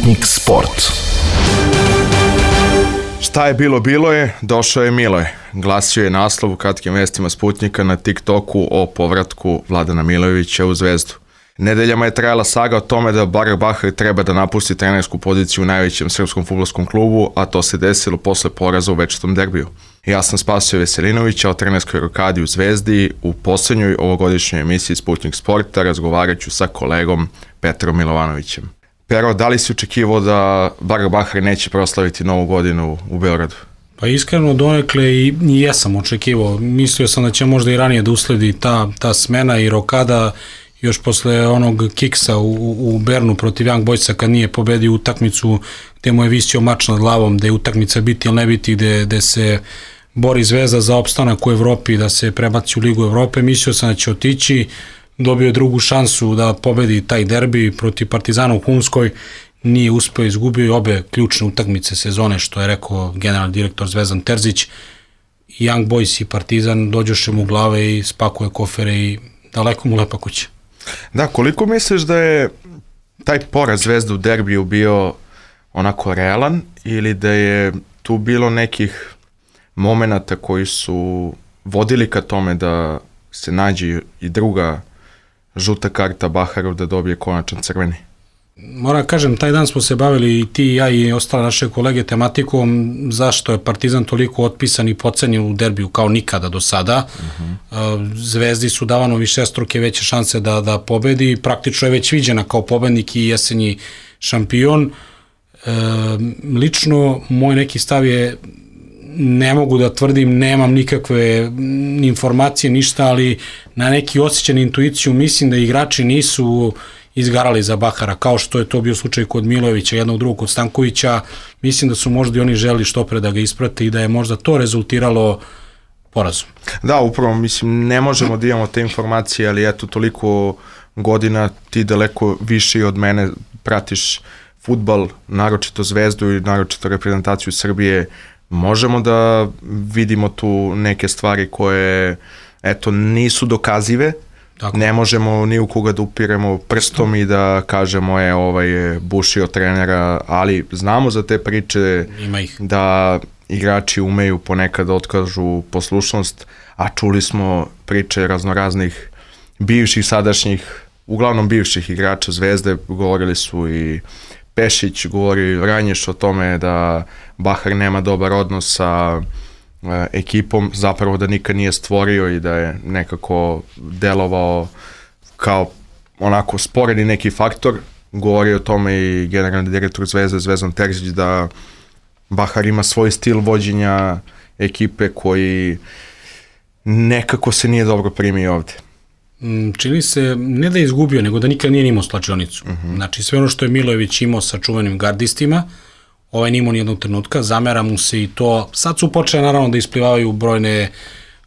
Sputnik Sport. Šta je bilo, bilo je, došao je Miloje. Glasio je naslov u kratkim vestima Sputnika na TikToku o povratku Vladana Milojevića u Zvezdu. Nedeljama je trajala saga o tome da Barak Bahar treba da napusti trenersku poziciju u najvećem srpskom fudbalskom klubu, a to se desilo posle poraza u večitom derbiju. Ja sam Spasio Veselinovića o trenerskoj rokadi u Zvezdi. U poslednjoj ovogodišnjoj emisiji Sputnik Sporta razgovarat ću sa kolegom Petrom Milovanovićem. Pero, da li si očekivao da Barak Bahar neće proslaviti Novu godinu u Beogradu? Pa iskreno donekle i jesam očekivao. Mislio sam da će možda i ranije da usledi ta smena i rokada još posle onog kiksa u Bernu protiv Young Boysa kad nije pobedio utakmicu gde mu je visio mač nad glavom, da je utakmica biti ili ne biti, gde se bori Zvezda za opstanak u Evropi, da se prebaci u Ligu Evrope. Mislio sam da će otići, dobio je drugu šansu da pobedi taj derbi protiv Partizana u Humskoj, nije uspeo, izgubio obe ključne utakmice sezone, što je rekao generalni direktor Zvezdan Terzić. Young Boys i Partizan dođoše mu u glave i spakuje kofere i daleko mu lepa kuća. Da, koliko misliš da je taj poraz Zvezda u derbiju bio onako realan ili da je tu bilo nekih momenata koji su vodili ka tome da se nađe i druga žuta karta Baharov da dobije konačan crveni? Moram kažem, taj dan smo se bavili i ti i ja i ostale naše kolege tematikom zašto je Partizan toliko otpisan i pocenjen u derbiju kao nikada do sada. Zvezdi su davano višestruke veće šanse da pobedi, praktično je već viđena kao pobednik i jesenji šampion. Lično, moj neki stav je, ne mogu da tvrdim, nemam nikakve informacije, ništa, ali na neki osjećan intuiciju mislim da igrači nisu izgarali za Bahara, kao što je to bio slučaj kod Milojevića, jednog drugog kod Stankovića. Mislim da su možda i oni želi što pre da ga isprate i da je možda to rezultiralo porazom. Da, upravo, mislim, ne možemo da imamo te informacije, ali eto, toliko godina ti daleko više od mene pratiš fudbal, naročito Zvezdu i naročito reprezentaciju Srbije. Možemo da vidimo tu neke stvari koje, eto, nisu dokazive. Tako. Ne možemo ni u koga da upiremo prstom i da kažemo ovaj je bušio trenera, ali znamo za te priče da igrači umeju ponekad otkažu poslušnost, a čuli smo priče raznoraznih bivših, sadašnjih, uglavnom bivših igrača Zvezde. Govorili su i Pešić, govori Ranješ o tome da Bahar nema dobar odnos sa ekipom, zapravo da nikad nije stvorio i da je nekako delovao kao onako sporeni neki faktor. Govori o tome i generalni direktor Zvezde, Zvezdan Terzić, da Bahar ima svoj stil vođenja ekipe koji nekako se nije dobro primio ovde. Čini se, ne da je izgubio, nego da nikad nije imao slačionicu. Znači, sve ono što je Milojević imao sa čuvenim gardistima, ovaj nije imao nijednog trenutka, zamera mu se i to. Sad su počeli naravno da isplivavaju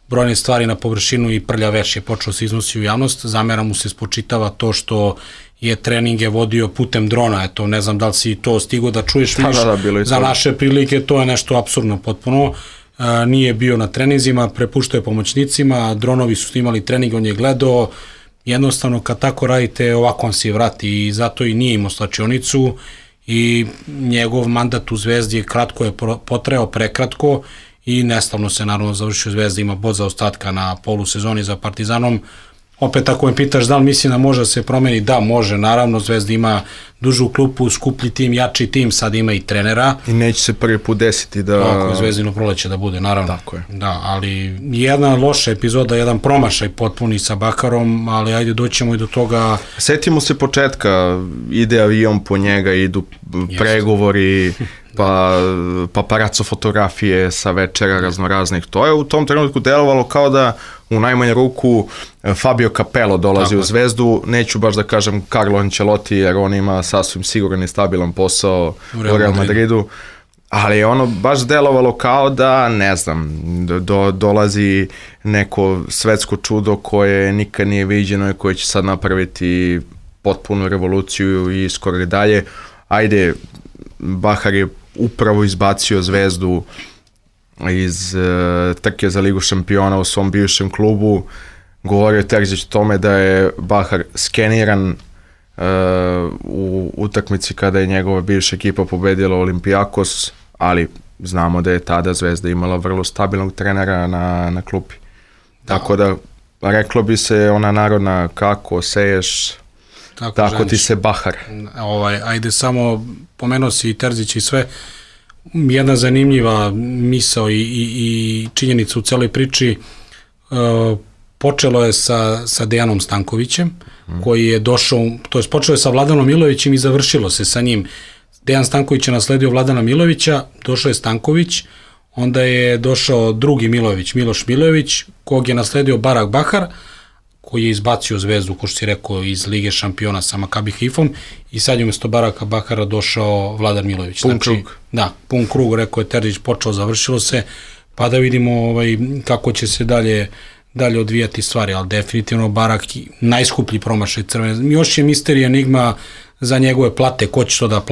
brojne stvari na površinu i prlja veš je počeo se iznosi u javnost. Zamera mu se, spočitava to što je treninge vodio putem drona. Eto, ne znam da li si to stigo da čuješ, vidiš, za naše prilike to je nešto apsurdno potpuno. Nije bio na treninzima, prepuštao je pomoćnicima, dronovi su snimali trening, on je gledao. Jednostavno, kad tako radite, ovako on se vrati i zato i nije imao slačionicu. I njegov mandat u Zvezdi je kratko je potreo, prekratko i nestavno se naravno završio. Zvezda ima bod za ostatka na polusezoni za Partizanom. Opet ako me pitaš da li mislim da može da se promeni, da može, naravno Zvezda ima dužu klupu, skuplji tim, jači tim, sad ima i trenera. I neće se prvi put desiti da... Tako je Zvezdino proleće da bude, naravno. Tako je. Da, ali jedna loša epizoda, jedan promašaj potpuni sa Bakarom, ali ajde doćemo i do toga... Setimo se početka, ide avion po njega, idu pregovori, pa paparaco fotografije sa večera raznoraznih. To je u tom trenutku delovalo kao da u najmanju ruku Fabio Capello dolazi u Zvezdu, neću baš da kažem Carlo Ancelotti, jer on ima sasvim siguran i stabilan posao u Real Madridu, ali je ono baš delovalo kao da, ne znam, dolazi neko svetsko čudo koje nikad nije viđeno i koje će sad napraviti potpunu revoluciju i skoro i dalje. Ajde, Bahar je upravo izbacio Zvezdu iz trke za Ligu šampiona u svom bivšem klubu. Govorio Terzić o tome da je Bahar skeniran u utakmici kada je njegova bivša ekipa pobedila Olimpijakos, ali znamo da je tada Zvezda imala vrlo stabilnog trenera na klupi. Tako da reklo bi se ona narodna kako seješ, tako ti se bahar. Ajde samo, pomenuo si i Terzić i sve, jedna zanimljiva misao i činjenica u celoj priči, počelo je sa Dejanom Stankovićem, koji je došao, to je počelo je sa Vladanom Milovićem i završilo se sa njim. Dejan Stanković je nasledio Vladana Milovića, došao je Stanković, onda je došao drugi Milović, Miloš Milojević, kog je nasledio Barak Bahar, koji je izbacio Zvezdu, ko što si rekao, iz Lige šampiona sa Makabi Haifom, i sad je umjesto Baraka Bahara došao Vladan Milović. Pun krug. Da, pun krug, rekao je Terzić, počeo, završilo se, pa da vidimo kako će se dalje odvijati stvari, ali definitivno Barak najskuplji promašaj Crvene. Još je misterija, enigma za njegove plate, ko će to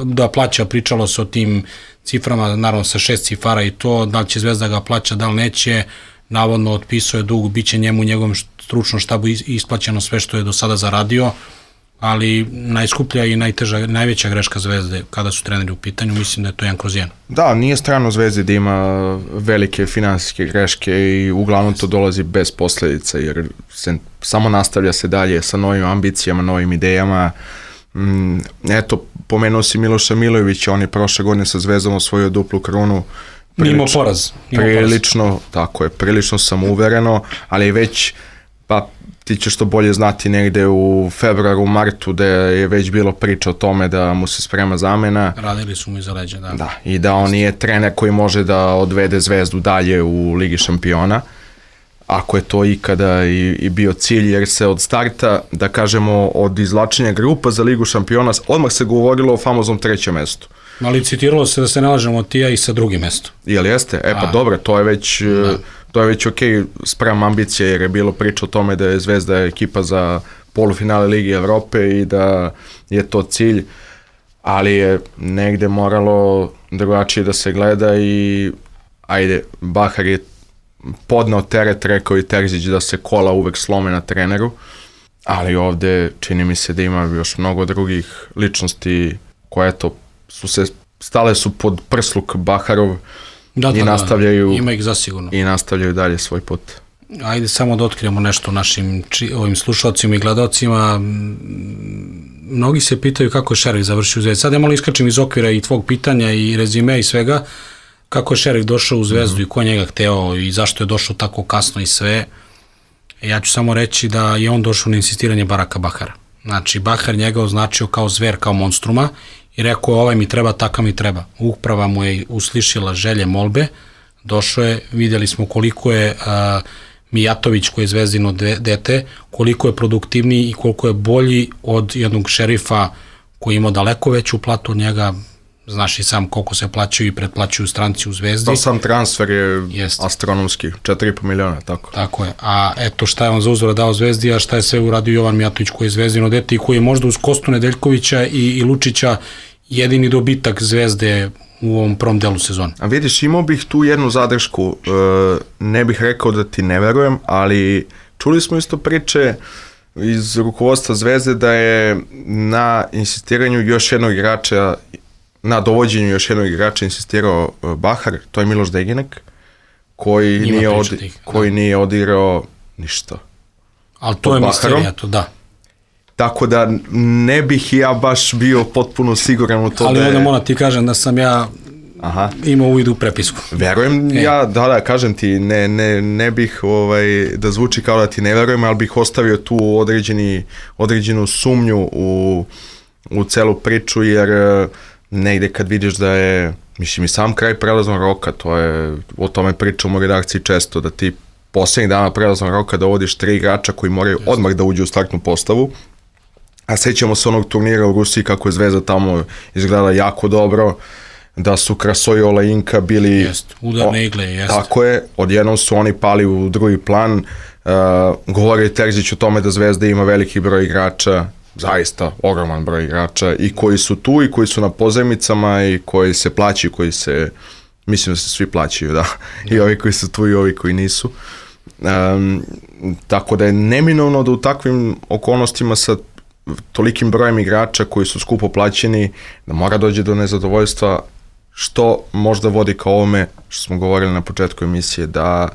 da plaća, pričalo se o tim ciframa, naravno sa 6 cifara i to, da li će Zvezda ga plaća, da li neće, navodno otpisao je dug, bit će njemu u njegovom stručnom štabu isplaćeno sve što je do sada zaradio, ali najskuplja i najveća greška Zvezde kada su treneri u pitanju, mislim da je to 1/1. Da, nije strano Zvezdi da ima velike finansijske greške i uglavnom to dolazi bez posledica, jer se samo nastavlja se dalje sa novim ambicijama, novim idejama. Eto, pomenuo si Miloša Milojevića, on je prošle godine sa Zvezdom osvojio duplu krunu. Mimo poraz. Prilično, tako je, prilično samouvereno, ali već, pa ti ćeš to bolje znati, negde u februaru, martu, da je već bilo priča o tome da mu se sprema zamena. Radili su mu iza leđa, da. Da, i da on nije trener koji može da odvede Zvezdu dalje u Ligi šampiona, ako je to ikada i bio cilj, jer se od starta, da kažemo, od izvlačenja grupa za Ligu šampiona, odmah se govorilo o famoznom 3. mestu. Ali citiralo se da se ne lažemo Tija i sa 2. mesto. Jel jeste? Pa dobro, to je već ok, sprem ambicije, jer je bilo priča o tome da je Zvezda ekipa za polufinale Ligi Evrope i da je to cilj, ali je negde moralo drugačije da se gleda i ajde, Bahar je podneo teret, rekao i Terzić, da se kola uvek slome na treneru, ali ovde čini mi se da ima još mnogo drugih ličnosti koje stale su pod prsluk Baharov i nastavljaju, ima ih zasigurno. I nastavljaju dalje svoj put. Ajde samo da otkrijemo nešto našim ovim slušalcima i gledalcima. Mnogi se pitaju kako je Šerif završio u Zvezdi. Sad ja malo iskačem iz okvira i tvog pitanja i rezime i svega. Kako je Šerif došao u Zvezdu i ko njega hteo i zašto je došao tako kasno i sve. Ja ću samo reći da je on došao na insistiranje Baraka Bahara. Znači, Bahar njega označio kao zver, kao monstruma i rekao je ovaj mi treba, takav mi treba. Uprava mu je uslišila želje, molbe, došao je, vidjeli smo koliko je Mijatović, koji je Zvezdino dete, koliko je produktivniji i koliko je bolji od jednog Šerifa koji ima daleko veću platu od njega. Znaš i sam koliko se plaćaju i pretplaćuju stranci u Zvezdi. To sam transfer je astronomski, 4,5 miliona, tako. Tako je, a eto šta je on za uzvrat dao Zvezdi, a šta je sve uradio Jovan Mijatović, koji je Zvezdino dete i koji je možda uz Kostu Nedeljkovića i Lučića jedini dobitak Zvezde u ovom prvom delu sezone. A vidiš, imao bih tu jednu zadršku, ne bih rekao da ti ne verujem, ali čuli smo isto priče iz rukovodstva Zvezde da je na insistiranju još jednog igrača, na dovođenju još jednog igrača insistirao Bahar, to je Miloš Degenek, koji nije odigrao ništa. Ali to je misterija, to da. Tako da ne bih ja baš bio potpuno siguran u to ali da je... Ali onda moram ti kažem da sam ja imao uvid u prepisku. Verujem ja, da, kažem ti, ne bih da zvuči kao da ti ne verujem, ali bih ostavio tu određenu sumnju u celu priču, jer negde kad vidiš da je, mislim i sam kraj prelaznog roka, o tome pričam u redakciji često, da ti poslednjih dana prelaznog roka dovodiš 3 igrača koji moraju odmah da uđu u startnu postavu, a sećamo se onog turnira u Rusiji kako je Zvezda tamo izgledala jako dobro, da su Krasoj i Olajinka bili... Udarne igle, jest. Tako je, odjednom su oni pali u drugi plan, govori Terzić o tome da Zvezda ima veliki broj igrača, zaista ogroman broj igrača i koji su tu i koji su na pozajmicama i koji se plaćaju, mislim da se svi plaćaju, da, i ovi koji su tu i ovi koji nisu. Tako da je neminovno da u takvim okolnostima sa tolikim brojem igrača koji su skupo plaćeni, da mora dođe do nezadovoljstva, što možda vodi ka ovome što smo govorili na početku emisije, da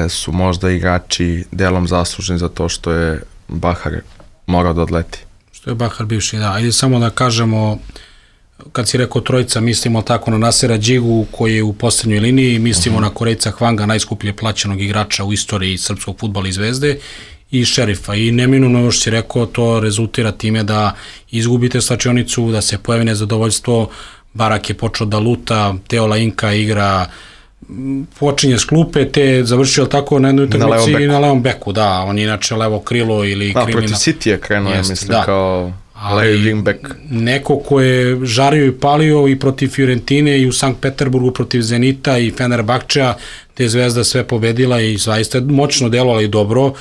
su možda igrači delom zaslužni za to što je Bahar morao da odleti. Što je Bahar bivši, da. Ajde samo da kažemo, kad si rekao trojica, mislimo tako na Nasera Đigu koji je u poslednjoj liniji, mislimo na Korejca Hwanga, najskuplje plaćenog igrača u istoriji srpskog fudbala i Zvezde, i Šerifa. I neminuno, još si rekao, to rezultira time da izgubite slačionicu, da se pojavi nezadovoljstvo. Barak je počeo da luta, Teo Lainka igra, počinje s klupe, te završio tako na jednoj utakmici i na levom beku, da, on je inače levo krilo ili kriminal. Protiv City je krenuo, ja mislim, kao levi wingback. Neko ko je žario i palio i protiv Fiorentine i u Sankt Peterburgu protiv Zenita i Fenerbahčea, te Zvezda sve pobedila i zaista moćno delovala i dobro.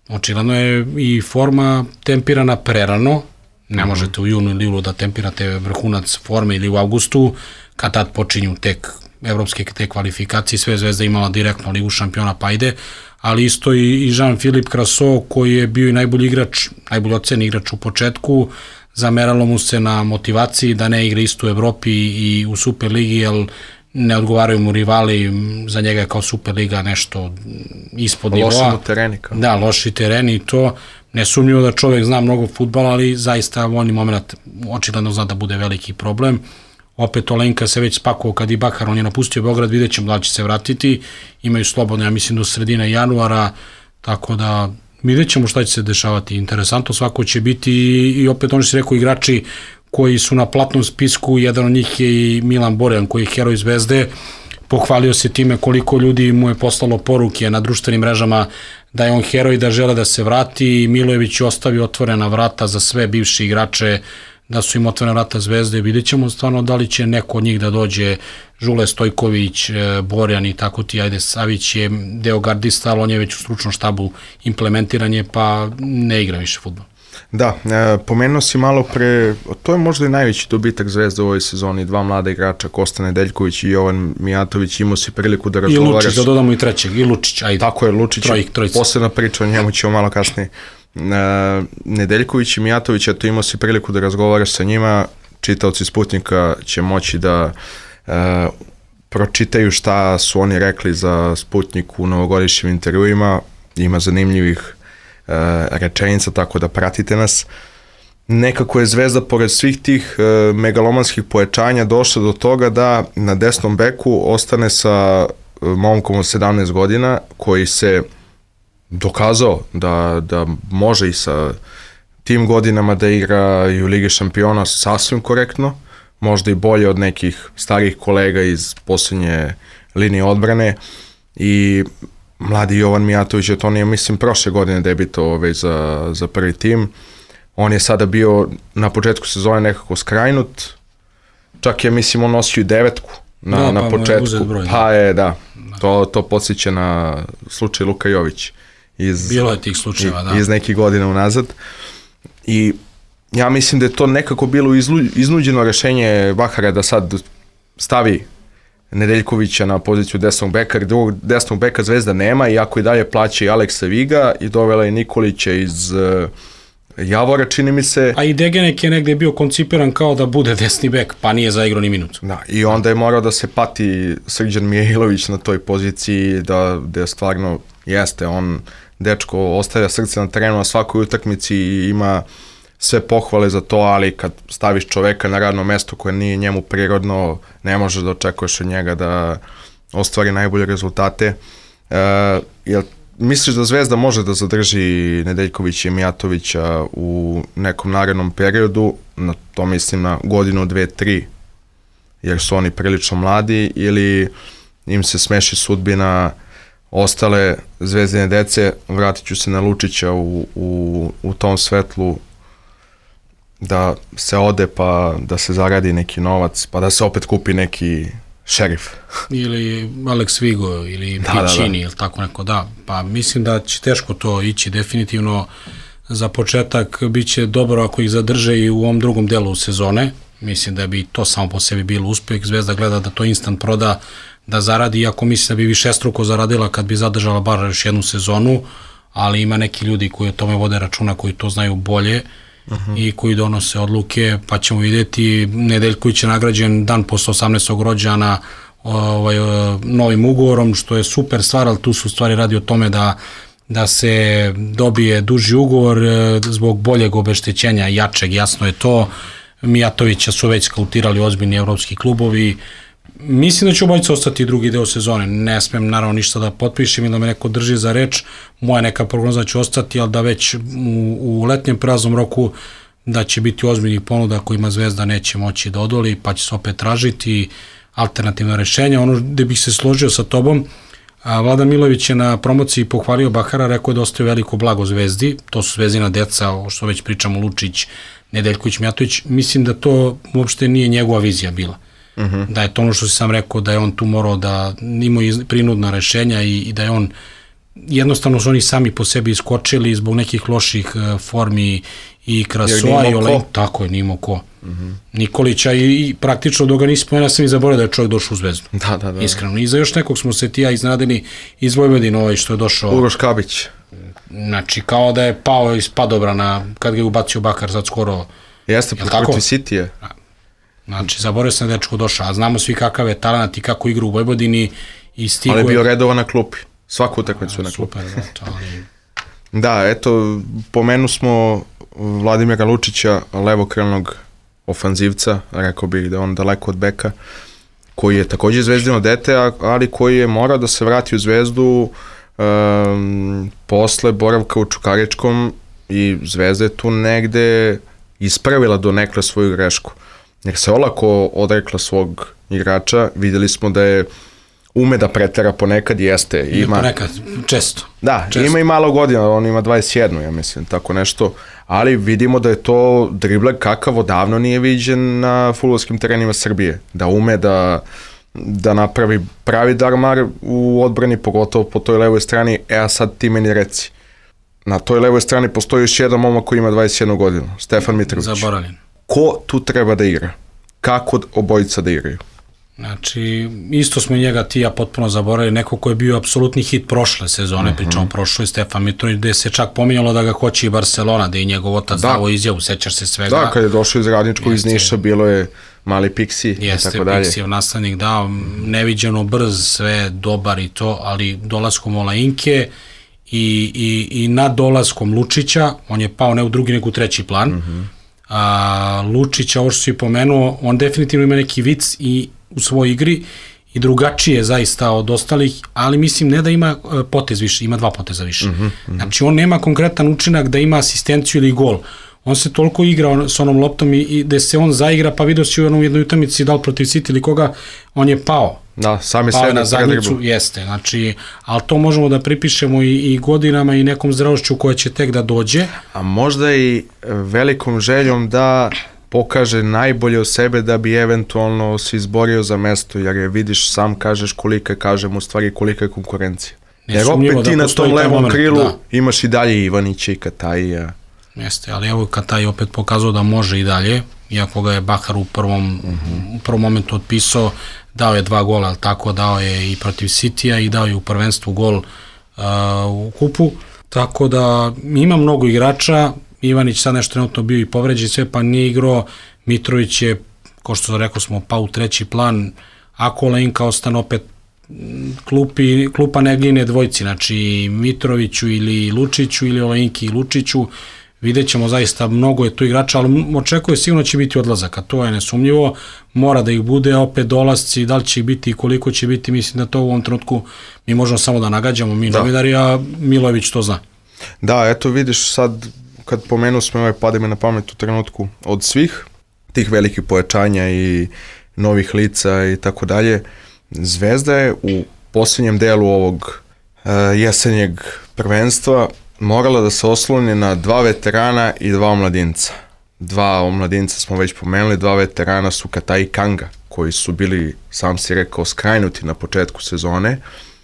Očigledno je i forma tempirana prerano, ne možete u junu ili julu da tempirate vrhunac forme ili u avgustu, kad tad počinju tek evropske te kvalifikacije, sve Zvezda imala direktno Ligu šampiona, pa ide, ali isto i Jean-Philippe Crasso koji je bio i najbolji igrač, najbolji oceni igrač u početku, zameralo mu se na motivaciji da ne igra isto u Evropi i u Superligi, jer ne odgovaraju mu rivali, za njega je kao Superliga nešto ispod nivoa. Loši mu tereni. Da, loši tereni i to. Nesumnjivo da čovjek zna mnogo fudbala, ali zaista voljni moment očigledno zna da bude veliki problem. Opet Olenka se već spakovao kad i Bahar, on je napustio Beograd, vidjet ćemo da će se vratiti, imaju slobodno, ja mislim, do sredine januara, tako da vidjet ćemo šta će se dešavati. Interesantno svako će biti i opet oni se rekao igrači koji su na platnom spisku, jedan od njih je i Milan Borjan koji je heroj Zvezde, pohvalio se time koliko ljudi mu je poslalo poruke na društvenim mrežama da je on heroj, da žele da se vrati. Milojević je ostavio otvorena vrata za sve bivše igrače, da su im otvorena vrata Zvezde. Vidjet ćemo stvarno da li će neko od njih da dođe, Žule Stojković, Borjan i tako ti, ajde, Savić je deo gardista, ali on je već u stručnom štabu implementiranje, pa ne igra više fudbal. Da, pomenuo si malo pre, to je možda i najveći dobitak Zvezde u ovoj sezoni, dva mlada igrača, Kosta Nedeljković i Jovan Mijatović, imao si priliku da razgovaraš. I Lučić, da dodamo i trećeg, i Lučić, ajde. Tako je, Lučić, posebna priča, o njemu ćemo malo kasnije. Nedeljković i Mijatović, eto imao si priliku da razgovaraš sa njima, čitaoci Sputnika će moći da pročitaju šta su oni rekli za Sputnik u novogodišnjim intervjuima, ima zanimljivih rečenica, tako da pratite nas. Nekako je Zvezda pored svih tih megalomanskih pojačanja došla do toga da na desnom beku ostane sa momkom od 17 godina koji se dokazao da može i sa tim godinama da igra i u Ligi šampiona sasvim korektno, možda i bolje od nekih starih kolega iz posljednje linije odbrane. I mladi Jovan Mijatović, to nije, mislim, prošle godine debitovao već za prvi tim. On je sada bio na početku sezone nekako skrajnut, čak je, mislim, on nosio i devetku na početku. Pa je, da, to podsjeća na slučaj Luka Jović. Bilo je tih slučajeva, da. Iz nekih godina unazad. I ja mislim da je to nekako bilo iznuđeno rešenje Bahara da sad stavi Nedeljkovića na poziciju desnog beka, jer drugog desnog beka Zvezda nema, iako i dalje plaća i Aleksa Viga i dovela je Nikolića iz Javora, čini mi se. A i Degenek je negde bio koncipiran kao da bude desni bek, pa nije zaigrao ni minutu. Da, i onda je morao da se pati Srđan Mijailović na toj poziciji, da stvarno jeste, on dečko ostavlja srce na terenu na svakoj utakmici i ima sve pohvale za to, ali kad staviš čoveka na radno mesto koje nije njemu prirodno, ne možeš da očekuješ od njega da ostvari najbolje rezultate. Jel misliš da Zvezda može da zadrži Nedeljkovića i Mijatovića u nekom narednom periodu, na to mislim na godinu, 2, 3, jer su oni prilično mladi, ili im se smeši sudbina ostale Zvezdine dece? Vratit ću se na Lučića u tom svetlu, da se ode pa da se zaradi neki novac, pa da se opet kupi neki Šerif. Ili Alex Vigo ili Piccini ili tako neko, da. Pa mislim da će teško to ići definitivno. Za početak bit će dobro ako ih zadrže i u ovom drugom delu sezone. Mislim da bi to samo po sebi bilo uspeh. Zvezda gleda da to instant proda, da zaradi, iako mislim da bi višestruko zaradila kad bi zadržala bar još jednu sezonu, ali ima neki ljudi koji o tome vode računa, koji to znaju bolje i koji donose odluke, pa ćemo vidjeti. Nedeljković je nagrađen dan posle 18. rođana novim ugovorom, što je super stvar, ali tu su stvari radi o tome da se dobije duži ugovor zbog boljeg obeštećenja, jačeg, jasno je to. Mijatovića su već skautirali ozbiljni evropski klubovi. Mislim da će obojica ostati drugi deo sezone. Ne smem naravno ništa da potpišem ili da me neko drži za reč. Moja neka prognoza će ostati, ali da već u letnjem praznom roku da će biti ozbiljnih ponuda kojima Zvezda neće moći da odoli, pa će se opet tražiti alternativno rešenje. Ono gde bih se složio sa tobom, Vladan Milojević je na promociji pohvalio Bahara, rekao je da ostaje veliko blago Zvezdi, to su Zvezdina deca, o što već pričamo, Lučić, Nedeljković, Mijatović. Mislim da to uopšte nije njegova vizija bila. Da je to ono što si sam rekao, da je on tu morao da ima prinudna rešenja i da je on, jednostavno su oni sami po sebi iskočili zbog nekih loših formi i Krasova i Olej. Tako je, nimo ko. Nikolića i praktično dok ga nisi spomenuo, sam i zaboravio da je čovjek došao u Zvezdu. Da. Iskreno. I za još nekog smo se ti ja iznenadili iz Vojvodine, što je došao. Uroš Kabić. Znači, kao da je pao iz padobrana kad ga je ubacio Bakar sad skoro. Jeste, protiv Citije. Znači, zaboravio sam da je dečko došao, a znamo svi kakav je talent i kako igra u Vojvodini i stigo. Ali je bio redovan na klupi. Svaku utakmicu na klupi. Super, ali... Da, eto, pomenu smo Vladimira Lučića, levokrilnog ofanzivca, rekao bih da on daleko od beka, koji je takođe Zvezdino dete, ali koji je morao da se vrati u Zvezdu posle boravka u Čukaričkom i Zvezda je tu negde ispravila do nekle svoju grešku. Jer se olako odrekla svog igrača, videli smo da je ume da pretera ponekad, jeste. Ima ponekad, često. Da, često. Ima i malo godina, on ima 21, ja mislim, tako nešto, ali vidimo da je to dribler kakav odavno nije viđen na fudbalskim terenima Srbije, da ume da napravi pravi darmar u odbrani, pogotovo po toj levoj strani, a sad ti meni reci. Na toj levoj strani postoji još jedan momak koji ima 21 godinu, Stefan Mitrović. Zaboravljen. Ko tu treba da igra? Kako obojica da igraju? Znači, isto smo njega ti ja potpuno zaboravili, neko ko je bio apsolutni hit prošle sezone, pričamo prošloj, Stefan Mitrović, gde se čak pominjalo da ga hoće i Barcelona, da je njegov otac dao izjavu, sećaš se svega. Da, kad je došao iz Radničkog, iz Niša, bilo je mali Pixi i tako dalje. Jeste, Pixijev nastavnik dao, neviđeno brz, sve dobar i to, ali dolaskom Olainke i nad dolaskom Lučića, on je pao ne u drugi, nego u treći plan. Lučića, ovo što si pomenuo, on definitivno ima neki vic i u svojoj igri i drugačije zaista od ostalih, ali mislim ne da ima potez više, ima 2 poteza više. Znači on nema konkretan učinak da ima asistenciju ili gol. On se toliko igra s onom loptom i da se on zaigra, pa vidio si u jednoj utakmici da li protiv City ili koga, on je pao. Da, sami pao sebe na zadnjicu, jeste. Znači, ali to možemo da pripišemo i godinama i nekom zdravošću koja će tek da dođe. A možda i velikom željom da pokaže najbolje od sebe da bi eventualno se izborio za mesto, jer je vidiš, sam kažeš kažem u stvari kolika je konkurencija. Jer opet ti na tom levom krilu imaš i dalje Ivanića i Katajija. Jeste, ali evo Kataj opet pokazao da može i dalje, iako ga je Bahar u prvom momentu otpisao, dao je 2 gola, ali tako dao je i protiv Citya i dao je u prvenstvu gol u kupu, tako da ima mnogo igrača. Ivanić sad nešto trenutno bio i povređen sve, pa nije igrao. Mitrović je, kao što rekao smo, pao u treći plan. Ako Olainka ostane opet klupa ne gline dvojci, znači Mitroviću ili Lučiću ili Olainki i Lučiću, vidjet ćemo zaista, mnogo je tu igrača, ali očekuje sigurno će biti odlazaka, to je nesumnjivo, mora da ih bude, opet dolasci, da li će ih biti i koliko će biti, mislim da to u ovom trenutku mi možemo samo da nagađamo, mi novinari, a Milojević to zna. Da, eto vidiš sad, kad pomenu smo pade mi na pamet u trenutku od svih tih velikih pojačanja i novih lica i tako dalje, Zvezda je u posljednjem delu ovog jesenjeg prvenstva morala da se osloni na 2 veterana i 2 omladinca. 2 omladinca smo već pomenuli, 2 veterana su Kataj i Kanga, koji su bili, sam si rekao, skrajnuti na početku sezone.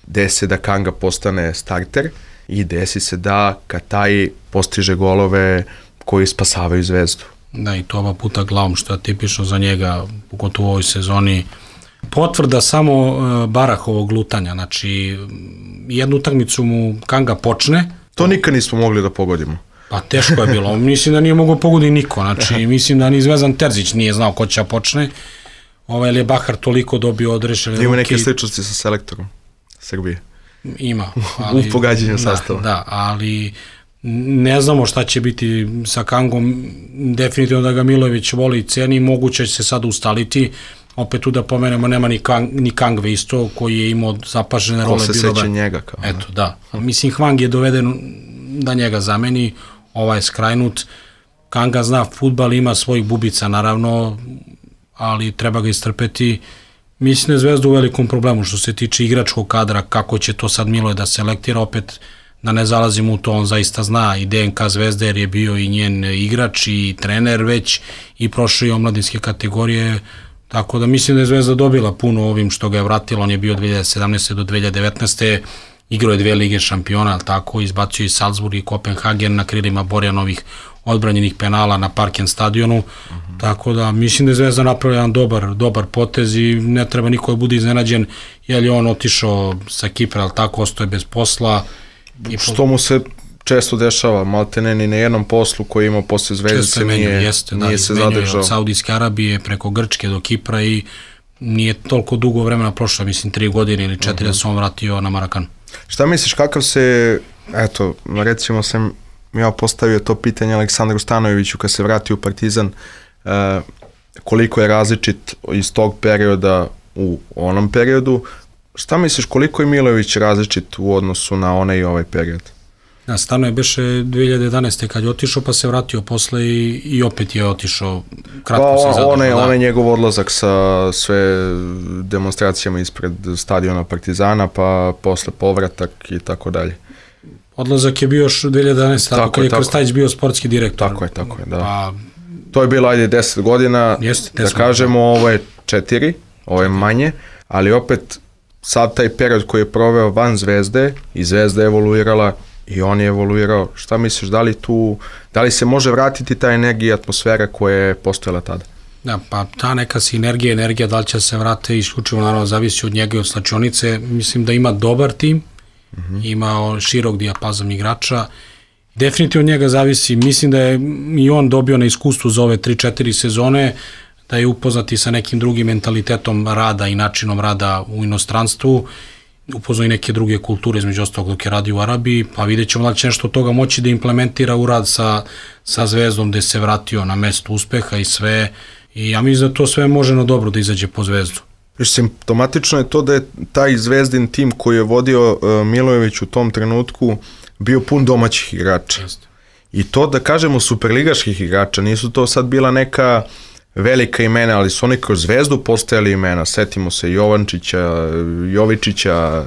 Desi se da Kanga postane starter i desi se da Kataj postiže golove koji spasavaju Zvezdu. Da, i to oba puta glavom, što je tipično za njega, pogotovo u ovoj sezoni. Potvrda samo Barahovog lutanja, znači jednu utakmicu mu Kanga počne, To nikad nismo mogli da pogodimo. Pa teško je bilo. Mislim da nije mogao pogoditi niko. Znači, mislim da ni Zvezdan Terzić nije znao ko će počne. Ali je Bahar toliko dobio odrešene ruke. Ima neke sličnosti sa selektorom Srbije. Ima. U pogađanju sastava. Da, ali ne znamo šta će biti sa Kangom. Definitivno da ga Milojević voli i ceni. Moguće će se sad ustaliti. Opet tu da pomenemo, nema ni Kangve isto, koji je imao zapažene role. Ko se seća njega kao. Eto, da. Mislim, Hwang je doveden da njega zameni, ovaj je skrajnut. Kanga zna fudbal, ima svojih bubica, naravno, ali treba ga istrpeti. Mislim da je Zvezda u velikom problemu što se tiče igračkog kadra, kako će to sad Miloje da selektira, opet da ne zalazimo u to, on zaista zna i DNK Zvezde, jer je bio i njen igrač i trener već i prošao i omladinske kategorije. Tako da mislim da je Zvezda dobila puno ovim što ga je vratilo, on je bio 2017. do 2019. Igrao je 2 lige šampiona, tako, izbacio i Salzburg i Kopenhagen na krilima Borjanovih odbranjenih penala na Parken stadionu, tako da mislim da je Zvezda napravila jedan dobar potez i ne treba niko da bude iznenađen, jer je on otišao sa Kipra, ali tako, ostao je bez posla. Što mu se često dešava, maltene ni na jednom poslu koji ima posle Zvezdice nije se zadržao. Od Saudijske Arabije preko Grčke do Kipra i nije toliko dugo vremena prošlo, mislim 3 godine ili 4 da se on vratio na Marakanu. Šta misliš, kakav se, eto, recimo sam ja postavio to pitanje Aleksandru Stanojeviću kad se vratio u Partizan, koliko je različit iz tog perioda u onom periodu, šta misliš koliko je Milojević različit u odnosu na onaj i ovaj period? Da, Stanoje beše 2011. kad je otišao, pa se vratio posle i opet je otišao, kratko se zadržao. Onaj njegov odlazak sa sve demonstracijama ispred stadiona Partizana, pa posle povratak i tako dalje. Odlazak je bio još 2011. Tako kad je Krstajić bio sportski direktor. Tako je, da. Pa, to je bilo, 10 godina, da kažemo, ovo je 4, ovo je manje, ali opet sad taj period koji je proveo van Zvezde i Zvezda je evoluirala i on je evoluirao. Šta misliš, da li se može vratiti ta energija i atmosfera koja je postojala tada? Da, pa ta neka energija, da li će se vrate, isključivo naravno zavisi od njega i od slačionice. Mislim da ima dobar tim, ima širok dijapazon igrača. Definitivno od njega zavisi, mislim da je i on dobio na iskustvu za ove 3-4 sezone, da je upoznati sa nekim drugim mentalitetom rada i načinom rada u inostranstvu, upoznao i neke druge kulture, između ostalog dok je radio u Arabiji, pa vidjet ćemo da će nešto od toga moći da implementira u rad sa Zvezdom, gde se vratio na mesto uspeha i sve, i ja mislim da to sve može na dobro da izađe po Zvezdu. Simptomatično je to da je taj Zvezdin tim koji je vodio Milojević u tom trenutku bio pun domaćih igrača. I to, da kažemo, superligaških igrača, nisu to sad bila neka velika imena, ali su oni kroz Zvezdu postajali imena. Setimo se Jovančića, Jovičića,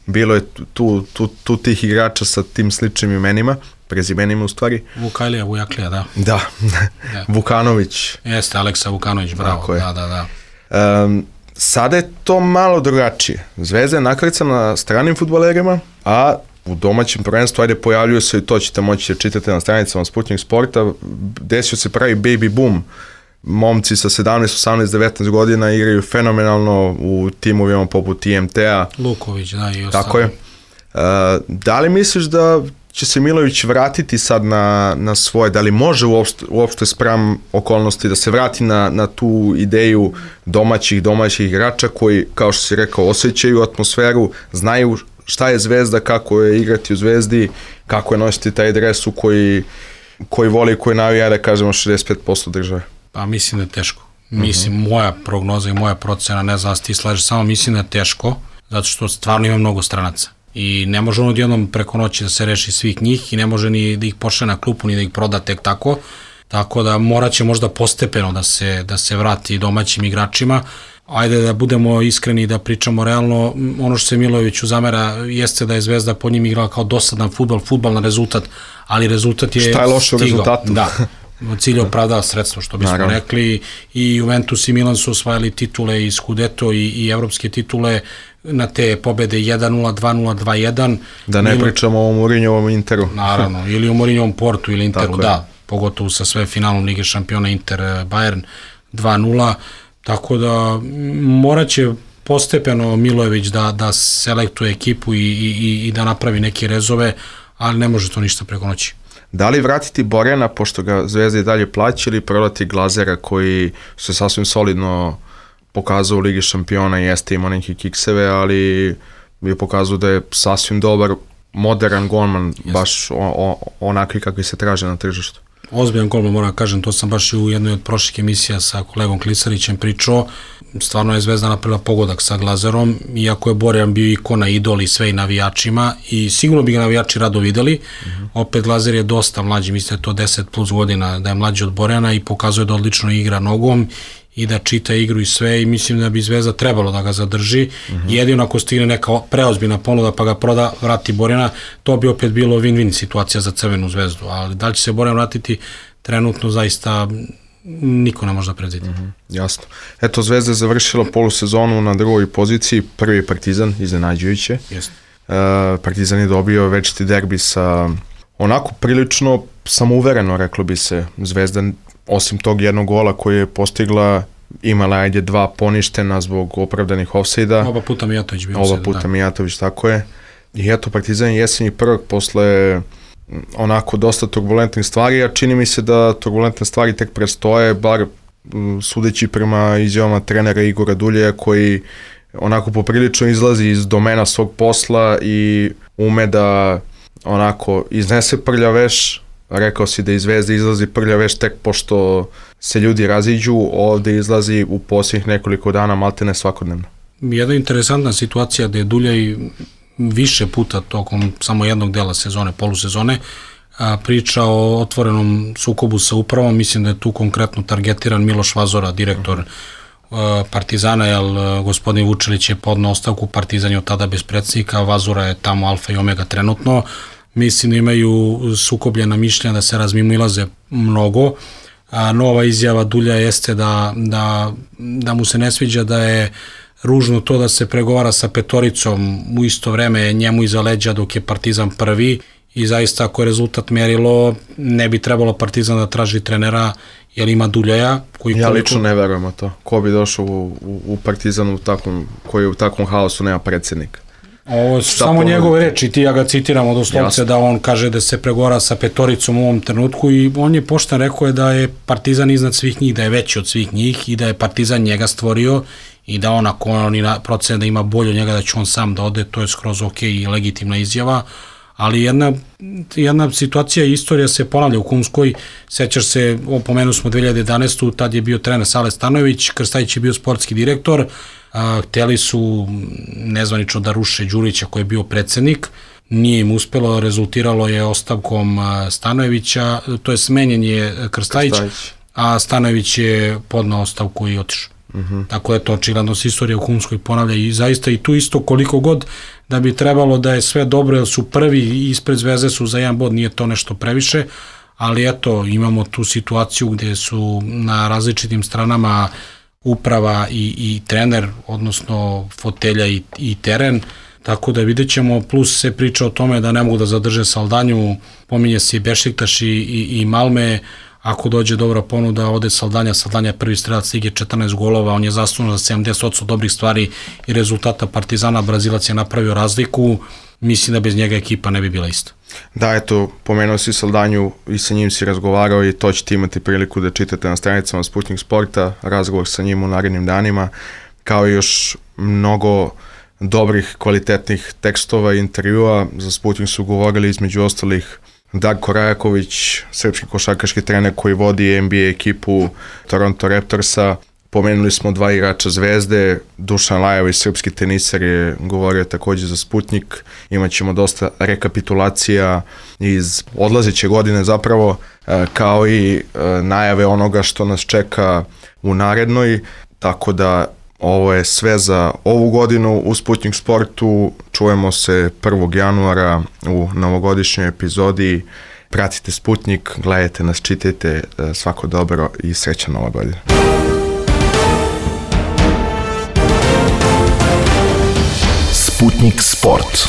bilo je tu tih igrača sa tim sličnim imenima, prezimenima u stvari. Vujaklija, da. Da, Vukanović. Jeste, Aleksa Vukanović, bravo. Da. Sada je to malo drugačije. Zvezda je nakrcana na stranim fudbalerima, a u domaćem prvenstvu, pojavljuju se, i to ćete moći da čitate na stranicama Sputnik Sporta, desio se pravi baby boom. Momci sa 17, 18, 19 godina igraju fenomenalno u timovima poput IMT-a. Luković, da, i ostalo. Tako je. Da li misliš da će se Milojević vratiti sad na svoje, da li može uopšte spram okolnosti da se vrati na tu ideju domaćih igrača koji, kao što si rekao, osjećaju atmosferu, znaju šta je Zvezda, kako je igrati u Zvezdi, kako je nositi taj dres u koji voli, koji navija, da kažemo, 65% države? Pa mislim da je teško. Mislim, moja prognoza i moja procena, ne znam da ti slažeš, samo mislim da je teško, zato što stvarno ima mnogo stranaca. I ne može on odjednom preko noći da se reši svih njih i ne može ni da ih pošle na klupu, ni da ih proda tek tako. Tako da morat će možda postepeno da se vrati domaćim igračima. Ajde da budemo iskreni i da pričamo realno, ono što se Milojeviću zamera jeste da je Zvezda po njim igrala kao dosadan fudbal na rezultat, ali rezultat je stigao. Šta je loše u rezultatu? Da, cilj je opravdava sredstvo, što bismo rekli, i Juventus i Milan su osvajali titule i Scudetto i evropske titule na te pobede 1-0, 2-0, 2-1. Da ne pričamo o Mourinhovom Interu. Naravno, ili o Mourinhovom Portu ili Interu, da, pogotovo sa sve finalom Lige šampiona Inter Bayern 2-0, tako da morat će postepeno Milojević da selektuje ekipu i da napravi neke rezove, ali ne može to ništa preko noći. Da li vratiti Borjana, pošto ga Zvezda i dalje plaća, ili prodati Glazera koji se sasvim solidno pokazao u Ligi šampiona, jeste imao neke kikseve, ali je pokazao da je sasvim dobar, modern golman, baš onakvi kakvi se traže na tržištu. Ozbiljan golman, moram kažem, to sam baš u jednoj od prošlih emisija sa kolegom Klisarićem pričao. Stvarno je Zvezda napravila pogodak sa Glazerom, iako je Borjan bio ikona, idol i sve i navijačima, i sigurno bi ga navijači rado videli. Opet Glazer je dosta mlađi, mislim da je to 10 plus godina da je mlađi od Borjana i pokazuje da odlično igra nogom i da čita igru i sve, i mislim da bi Zvezda trebalo da ga zadrži. Jedino ako stigne neka preozbiljna ponuda pa ga proda, vrati Borjana, to bi opet bilo win-win situacija za Crvenu Zvezdu, ali da li će se Borjan vratiti, trenutno zaista niko ne može da predvidi. Jasno. Eto, Zvezda je završila polusezonu na drugoj poziciji, prvi je Partizan, iznenađujuće. Partizan je dobio večiti derbi sa onako prilično samouvereno, reklo bi se. Zvezda, osim tog jednog gola koji je postigla, imala ajde 2 poništena zbog opravdanih ofsajda. Oba puta Mijatović bio ofsajd. Oba puta Mijatović, tako je. I eto, Partizan je jesenji prvak posle onako dosta turbulentnih stvari, a čini mi se da turbulentne stvari tek predstoje, bar sudeći prema izjavama trenera Igora Duljeja, koji onako poprilično izlazi iz domena svog posla i ume da onako iznese prljav veš. Rekao si da iz Zvezde izlazi prljav veš tek pošto se ljudi raziđu, ovde izlazi u posljednjih nekoliko dana maltene svakodnevno. Jedna interesantna situacija da je Duljaj više puta tokom samo jednog dela sezone, polusezone, priča o otvorenom sukobu sa upravom. Mislim da je tu konkretno targetiran Miloš Vazora, direktor Partizana, jer gospodin Vučelić je podneo ostavku, Partizan je od tada bez predsjednika, Vazora je tamo alfa i omega trenutno. Mislim da imaju sukobljena mišljenja, da se razmimoilaze mnogo. Nova izjava Dulja jeste da mu se ne sviđa da je ružno to da se pregovara sa petoricom u isto vreme njemu iza leđa dok je Partizan prvi, i zaista ako je rezultat merilo, ne bi trebalo Partizan da traži trenera jer ima Duljaja. Ja lično ne verujem to. Ko bi došao u Partizanu koji u takvom haosu nema predsjednika? Ovo su samo njegove reči, ti ja ga citiramo doslovce, da on kaže da se pregovara sa petoricom u ovom trenutku, i on je pošten rekao je da je Partizan iznad svih njih, da je veći od svih njih i da je Partizan njega stvorio i da on, ako oni procene da ima bolje od njega, da će on sam da ode, to je skroz ok i legitimna izjava. Ali jedna situacija i istorija se ponavlja u Kumskoj. Sećaš se, pomenuo smo 2011. Tad je bio trener Sale Stanojević, Krstajić je bio sportski direktor, hteli su nezvanično da ruše Đurića koji je bio predsednik, nije im uspelo, rezultiralo je ostavkom Stanojevića, to je smenjen je Krstajić, a Stanojević je podnao ostavku i otišao. Tako je to očigledno se istorija u Kumskoj ponavlja, i zaista i tu isto koliko god da bi trebalo da je sve dobro jer su prvi i ispred Zvezde su za 1 bod, nije to nešto previše, ali eto, imamo tu situaciju gde su na različitim stranama uprava i trener, odnosno fotelja i teren, tako da vidjet ćemo, plus se priča o tome da ne mogu da zadrže Saldanju, pominje se i Bešiktaš i Malme. Ako dođe dobra ponuda, ode Saldanja je prvi strelac lige, 14 golova, on je zaslužan za 70% dobrih stvari i rezultata Partizana, Brazilac je napravio razliku, mislim da bez njega ekipa ne bi bila ista. Da, eto, pomenuo si Saldanju i sa njim si razgovarao i to ćete imati priliku da čitate na stranicama Sputnik Sporta, razgovor sa njim u narednim danima, kao i još mnogo dobrih, kvalitetnih tekstova i intervjua. Za Sputnik su govorili između ostalih Darko Rajaković, srpski košarkaški trener koji vodi NBA ekipu Toronto Raptorsa. Pomenuli smo 2 igrača Zvezde, Dušan Lajović, srpski tenisar, je govorio takođe za Sputnik. Imaćemo dosta rekapitulacija iz odlazeće godine zapravo, kao i najave onoga što nas čeka u narednoj, tako da ovo je sve za ovu godinu u Sputnik Sportu. Čujemo se 1. januara u novogodišnjoj epizodi. Pratite Sputnik, gledajte nas, čitajte, svako dobro i srećna nova godina. Sputnik Sport.